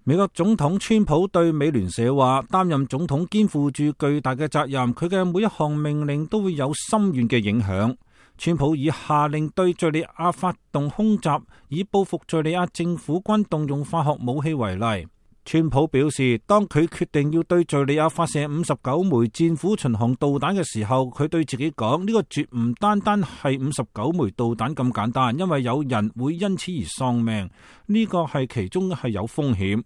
美國總統川普對美聯社話，擔任總統肩負住巨大嘅責任，佢嘅每一項命令都會有深遠嘅影響。川普以下令對敘利亞發動空襲，以報復敘利亞政府軍動用化學武器為例。川普表示，當佢決定要對敘利亞發射59枚戰斧巡航導彈嘅時候，佢對自己講，呢個絕唔單單係59枚導彈咁簡單，因為有人會因此而喪命，呢個係其中係有風險。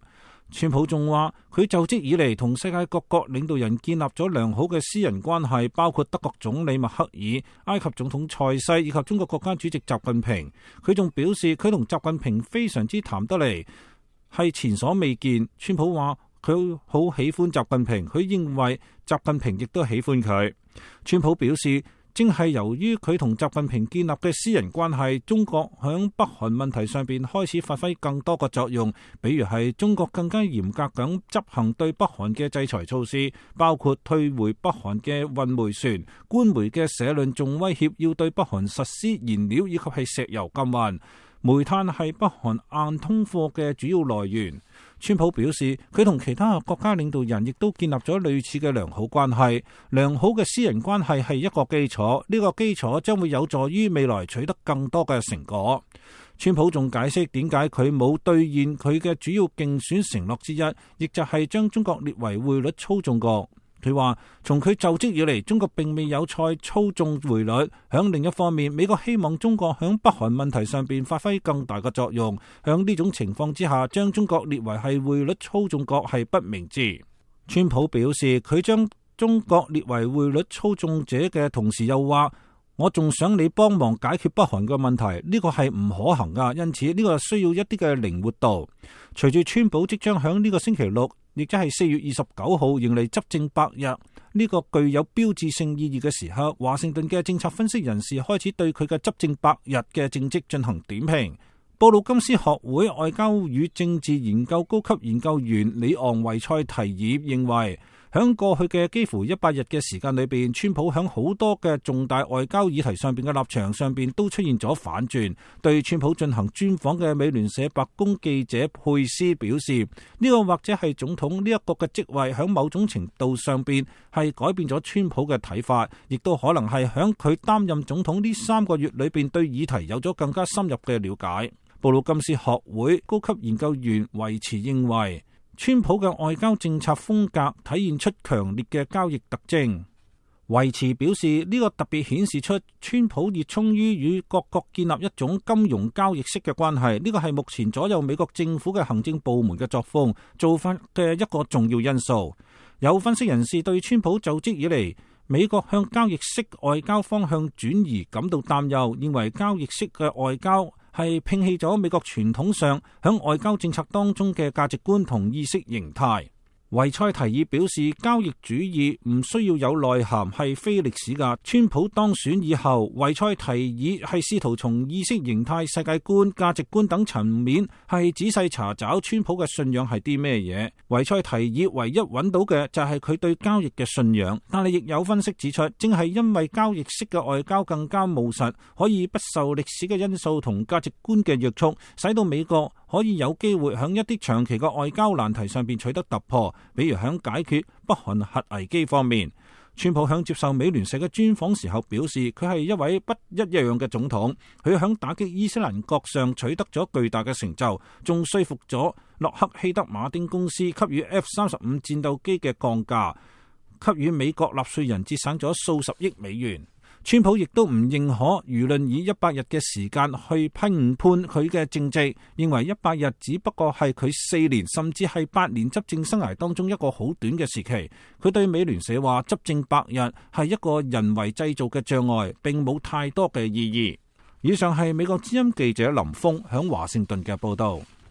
川普仲話，佢就職以嚟同世界各國領導人建立咗良好嘅私人關係，包括德國總理默克爾、埃及總統塞西以及中國國家主席習近平。佢仲表示，佢同習近平非常之談得嚟，係前所未見。川普話佢好喜歡習近平，佢認為習近平亦都喜歡佢。川普表示，正係由於佢同習近平建立嘅私人關係，中國響北韓問題上邊開始發揮更多嘅作用，比如係中國更加嚴格咁執行對北韓嘅制裁措施，包括退回北韓嘅運煤船、官媒嘅社論，仲威脅要對北韓實施燃料以及係石油禁運。煤炭係北韓硬通貨嘅主要來源。川普表示，佢同其他國家領導人亦都建立咗類似嘅良好關係。良好嘅私人關係係一個基礎，呢個基礎將會有助於未來取得更多嘅成果。川普仲解釋點解佢冇兌現佢嘅主要競選承諾之一，亦就係將中國列為匯率操縱國。佢話，從佢就職以嚟，中國並未有再操縱匯率。響另一方面，美國希望中國響北韓問題上邊發揮更大嘅作用。響呢種情況之下，將中國列為係匯率操縱國係不明智。川普表示，佢將中國列為匯率操縱者嘅同時，又話，我仲想你幫忙解決北韓嘅問題，呢個係唔可行噶，因此呢個需要一啲嘅靈活度。隨住川普即將響呢個星期六，亦即係4月29號迎嚟執政100日，呢個具有標誌性意義嘅時刻，華盛頓嘅政策分析人士開始對佢嘅執政100日嘅政績進行點評。布魯金斯學會外交與政治研究高級研究員里昂維塞提爾認為，響過去嘅幾乎100日嘅時間裏邊，川普響好多嘅重大外交議題上邊嘅立場上邊都出現咗反轉。對川普進行專訪嘅美聯社白宮記者佩斯表示，呢個或者係總統呢一個嘅職位響某種程度上邊係改變咗川普嘅睇法，亦都可能係響佢擔任總統呢3個月裏邊對議題有咗更加深入嘅了解。布魯金斯學會高級研究員維持認為，川普嘅外交政策風格體現出強烈嘅交易特徵。維持表示，呢個特別顯示出川普熱衷於與各國建立一種金融交易式嘅關係，呢個係目前左右美國政府嘅行政部門嘅作風做法嘅一個重要因素。有分析人士對川普就職以嚟美國向交易式外交方向轉移感到擔憂，認為交易式嘅外交係摒棄咗美國傳統上響外交政策當中嘅價值觀同意識形態。維塞提爾表示，交易主義唔需要有內涵，係非歷史㗎。川普當選以後，維塞提爾係試圖從意識形態、世界觀、價值觀等層面係仔細查找川普嘅信仰係啲咩嘢。維塞提爾唯一揾到嘅就係佢對交易嘅信仰，但係亦有分析指出，正係因為交易式嘅外交更加務實，可以不受歷史嘅因素同價值觀嘅約束，使到美國可以有機會喺一啲長期嘅外交難題上邊取得突破，比如喺解決北韓核危機方面。川普喺接受美聯社嘅專訪時候表示，佢係一位不一樣嘅總統，佢喺打擊伊斯蘭國上取得咗巨大嘅成就，仲說服咗洛克希德馬丁公司給予 F-35戰鬥機嘅降價，給予美國納稅人節省咗數十億美元。川普亦都唔認可輿論以100日嘅時間去評判佢嘅政績，認為100日只不過係佢4年甚至係8年執政生涯當中一個好短嘅時期。佢對美聯社話，執政100日係一個人為製造嘅障礙，並冇太多嘅意義。以上係美國之音記者林峰響華盛頓嘅報道。